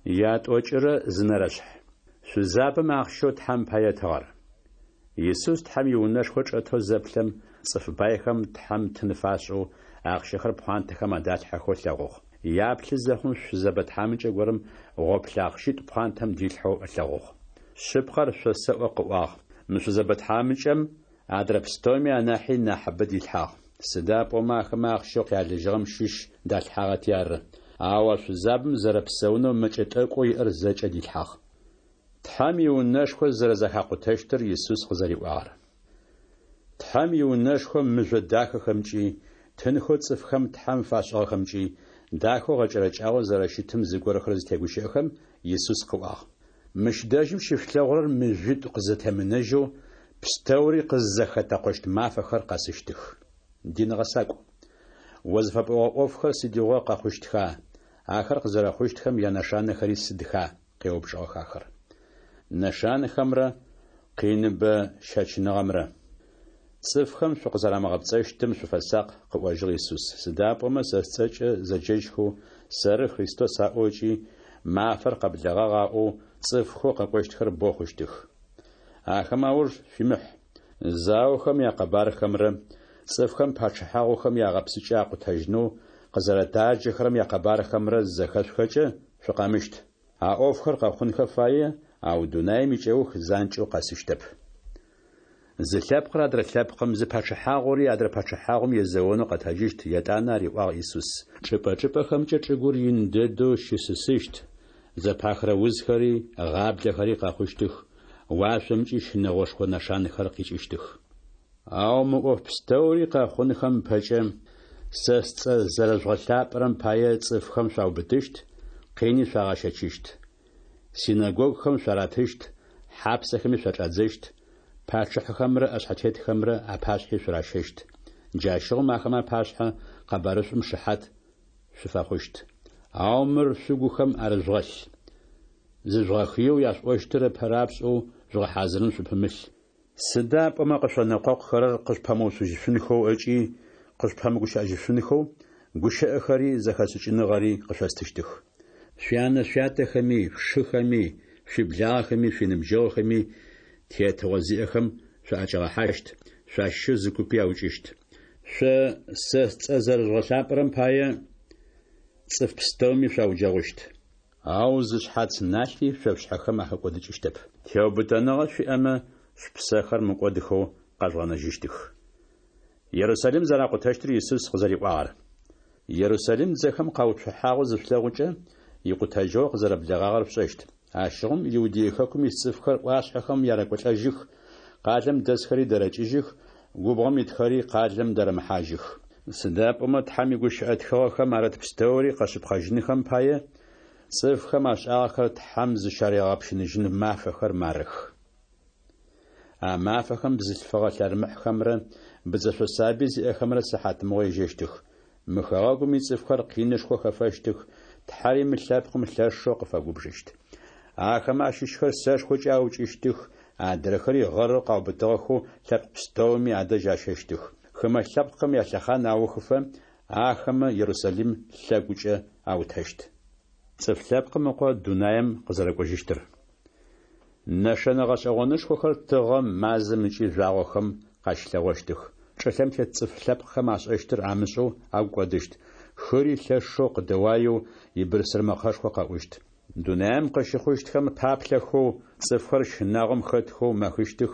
Ятӏокӏырэ зы нэрэшъхь. Шъузабэм ахъщэу Тхьэм пае ытыгъэр. Исус Тхьэм иунэшхо чӏэтэу зэплъэм, цӏыф байхэм Тхьэм тын фашӏэу, ахъщэхэр пхъуантэхэм адалъхьэхэу ылъэгъугъ. Яплъы зэхъум шъузэбэ тхьамыкӏэ горэм гъоплъэ ахъщитӏу пхъуантэм дилъхьэу ылъэгъугъ. Шъыпкъэр шъосэӏо, къыӏуагъ, мы шъузэбэ тхьамыкӏэм адрэ пстэуми анахьи нахьыбэ дилъхьагъ. Сыда пӏомэ ахэмэ ахъщэу къялыжьыгъэм щыщ далъхьагъэти ары. Ау а шъузабэм зэрэпсэунэу мэкӏэ тӏэкӏоу иӏэр зэкӏэ дилъхьагъ. Тхьэм иунэшхо зэрэзэхакъутэщтыр Исус къызэриӏуагъэр. Тхьэм иунэшхо мыжъо дахэхэмкӏи, тынхэу цӏыфхэм Тхьэм фашӏыгъэхэмкӏи, дахэу гъэкӏэрэкӏагъэу зэрэщытым зыгорэхэр зытегущыӏэхэм, Исус къыӏуагъ. Мыщ дэжьым щышъулъэгъурэр мыжъуитӏу къызэтемынэжьэу, пстэури къыззэхэтэкъощт мафэхэр къэсыщтых. Дин гъэсакӏу! О зыфэпӏогъэ ӏофхэр сыдигъо къэхъущтха, ахэр къызэрэхъущтхэм янэшанэхэри сыдха? къеупчӏыгъэх ахэр. Нэшанэхэмрэ къиныбэ щэчыныгъэмрэ. Цӏыфхэм шъукъызэрамыгъэпцӏэщтым шъуфэсакъ, къыӏожьыгъ Исус, сыда пӏомэ сэ сцӏэкӏэ зэджэжьхэу, Сэры Христос аӏоу ыкӏи Мафэр къэблэгъагъ аӏоу цӏыфхэу къэкӏощтхэр бэу хъущтых. Ахэмэ ауж шъуимыхь. Заохэм якъэбархэмрэ цӏыфхэм пачъыхьагъухэм ягъэпсыкӏэ акъутэжьынэу къызэрэтаджэхэрэм якъэбархэмрэ зызэхэшъухэкӏэ, шъукъэмыщт. А ӏофхэр къэхъунхэ фае, ау дунаим икӏэух занкӏэу къэсыщтэп. Зы лъэпкъыр адрэ лъэпкъым, зы пачъыхьагъури адрэ пачъыхьагъум езэонэу къэтэджыщт, етӏанэ ариӏуагъ Исус. Чӏыпӏэ-чӏыпӏэхэмкӏэ чӏыгур ин дэдэу щысысыщт, зэпахырэ узхэри, гъаблэхэри къэхъущтых, уашъомкӏи щынэгъошхо нэшанэхэр къикӏыщтых. Ау мы ӏоф пстэури къэхъунхэм ыпэкӏэ, сэ сцӏэ зэрэжъугъэлъапӏэрэм пае цӏыфхэм шъуаубытыщт, къини шъуагъэщэчыщт. Синэгогухэм шъуаратыщт, хьапсэхэми шъуачӏадзэщт, пачъыхьэхэмрэ ӏэшъхьэтетхэмрэ апашъхьи шъуращэщт. Джащыгъум ахэмэ апашъхьэ къэбарышӏум шыхьат шъуфэхъущт. Ау мыр шъугухэм арыжъугъэлъ. Зыжъугъэхыеу яшъуӏощтыр ыпэ рапшӏэу жъугъэхьазырын шъупымылъ. Сыда пӏомэ къышъонэкъокъухэрэр къышъупэмыуцужьышъунхэу ыкӏи къышъупэмыгущыӏэжьышъунхэу гущыӏэхэри зэхэшӏыкӏыныгъэри къышъостыщтых. Шъуянэ-шъуятэхэми, шъушыхэми, шъуиблагъэхэми, шъуиныбджэгъухэми тетыгъо зиӏэхэм шъуаӏэкӏагъэхьащт, шъуащыщэу зы купи аукӏыщт. Шъо сэ сцӏэ зэрэжъугъэлъапӏэрэм пае цӏыф пстэуми шъуауджэгъущт. Ау зы шъхьац налъи шъо шъушъхьэхэм ахэкӏодыкӏыщтэп. Теубытэныгъэ шъуиӏэмэ, шъупсэхэр мыкӏодыхэу къэжъугъэнэжьыщтых. Ерусалим зэракъутэщтыр Исус къызэриӏуагъэр. Ерусалим дзэхэм къауцухьагъэу зышъулъэгъукӏэ, икъутэжьыгъо къызэрэблэгъагъэр шъушӏэщт. Ащыгъум Иудей хэкум ис цӏыфхэр ӏуашъхьэхэм ярэкӏолӏэжьых, къалэм дэсхэри дэрэкӏыжьых, губгъом итхэри къалэм дэрэмыхьажьых. Сыда пӏомэ Тхьэм игущыӏэ тхыгъэхэм арыт пстэури къэшъыпкъэжьынхэм пае, цӏыфхэм ашӏагъэхэр Тхьэм зыщаригъэпщыныжьын мафэхэр марых. А мафэхэм бзылъфыгъэ лъэрмыхьхэмрэ быдзэшъо сабый зиӏэхэмрэ сыхьатмыгъо ежьэщтых. Мы хэгъэгум ицӏыфхэр къинышхо хэфэщтых, Тхьэри мы лъэпкъым лъэшэу къыфэгубжыщт. Ахэмэ ащыщхэр сэшхокӏэ аукӏыщтых, адрэхэри гъэрэу къаубытыгъэхэу лъэпкъ пстэуми адэжь ащэщтых. Хымэ лъэпкъхэм ялъэхъан аухыфэ, ахэмэ Ерусалим лъэгукӏэ аутэщт. Цӏыф Лъэпкъым Ыкъо дунаем къызэрэкӏожьыщтыр. Нэшэнэ гъэшӏэгъонышхохэр тыгъэм, мазэм ыкӏи жъуагъохэм къащылъэгъощтых. Чӏылъэм тет цӏыф лъэпкъхэм ашӏэщтыр амышӏэу агу кӏодыщт, хыри лъэшэу къыдэуаеу ибырсыр мэкъэшхо къэӏущт. Дунаем къыщыхъущтхэм паплъэхэу, цӏыфхэр щынагъом хэтхэу мэхыщтых,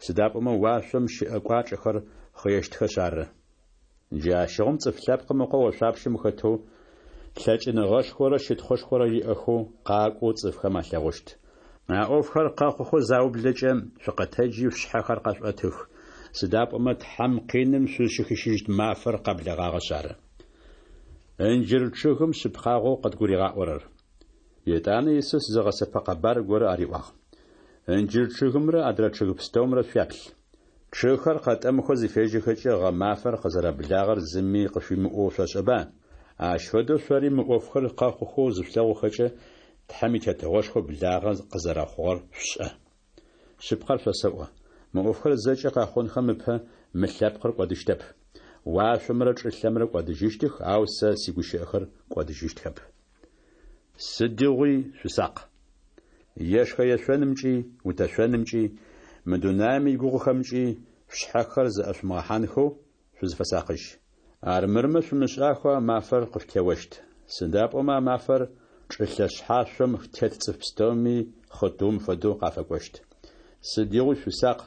сыда пӏомэ уашъом щыӏэ кӏуачӏэхэр хъыещтхэшъ ары. Джащыгъум Цӏыф Лъэпкъым Ыкъо ошъуапщэм хэтэу, лъэкӏыныгъэшхорэ щытхъушхорэ иӏэхэу къакӏоу цӏыфхэм алъэгъущт. А ӏофхэр къэхъухэу заублэкӏэ, шъукъэтэджи шъушъхьэхэр къэшъуӏэтых, сыда пӏомэ Тхьэм къиным шъузщыхищыжьыщт мафэр къэблэгъагъэшъ ары. Ынджыр чъыгым шъыпкъагъэу къыдгуригъаӏорэр. Етӏанэ Исус зы гъэсэпэ къэбар горэ ариӏуагъ. Ынджыр чъыгымрэ адрэ чъыг пстэумрэ шъуяплъ. Чъыгхэр къэтӏэмыхэу зыфежьэхэкӏэ гъэмафэр къызэрэблагъэр зыми къышъуимыӏоу шъошӏэба? Ащ фэдэу шъори мы ӏофхэр къэхъухэу зышъулъэгъухэкӏэ, Тхьэм и Тетыгъошхо благъэ къызэрэхъугъэр шъушӏэ. Шъыпкъэр шъосэӏо, мы ӏофхэр зэкӏэ къэхъунхэм ыпэ мы лъэпкъыр кӏодыщтэп. Уашъомрэ чӏылъэмрэ кӏодыжьыщтых, ау сэ сигущыӏэхэр кӏодыжьыщтхэп. Сыдигъуи шъусакъ! Ешхэ-ешъонымкӏи, утэшъонымкӏи, мы дунаем игугъухэмкӏи шъушъхьэхэр зэӏэшъумыгъэхьанхэу шъузфэсакъыжь. Армырмэ шъумышӏахэу а мафэр къышъутеощт. Сыда пӏомэ а мафэр чӏылъэ шъхьашъом тет цӏыф пстэуми хъытыум фэдэу къафэкӏощт. Сыдигъуи шъусакъ,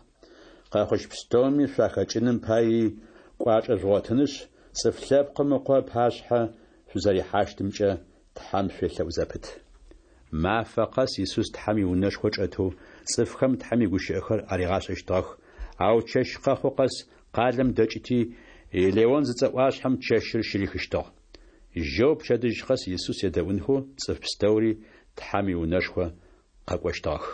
къэхъущт пстэуми шъуахэкӏыным паий кӏуачӏэ жъугъотынышъ, Цӏыф Лъэпкъым Ыкъо ыпашъхьэ шъузэрихьащтымкӏэ Тхьэм шъуелъэӏу зэпыт. Мафэ къэс Исус Тхьэм иунэшхо чӏэтэу цӏыфхэм Тхьэм игущыӏэхэр аригъашӏэщтыгъэх, ау чэщ къэхъу къэс къалэм дэкӏыти, Елеон зыцӏэ ӏуашъхьэм чэщыр щырихыщтыгъ. Жьэу пчэдыжь къэс Исус едэӏунхэу цӏыф пстэури Тхьэм иунэшхо къэкӏощтыгъэх.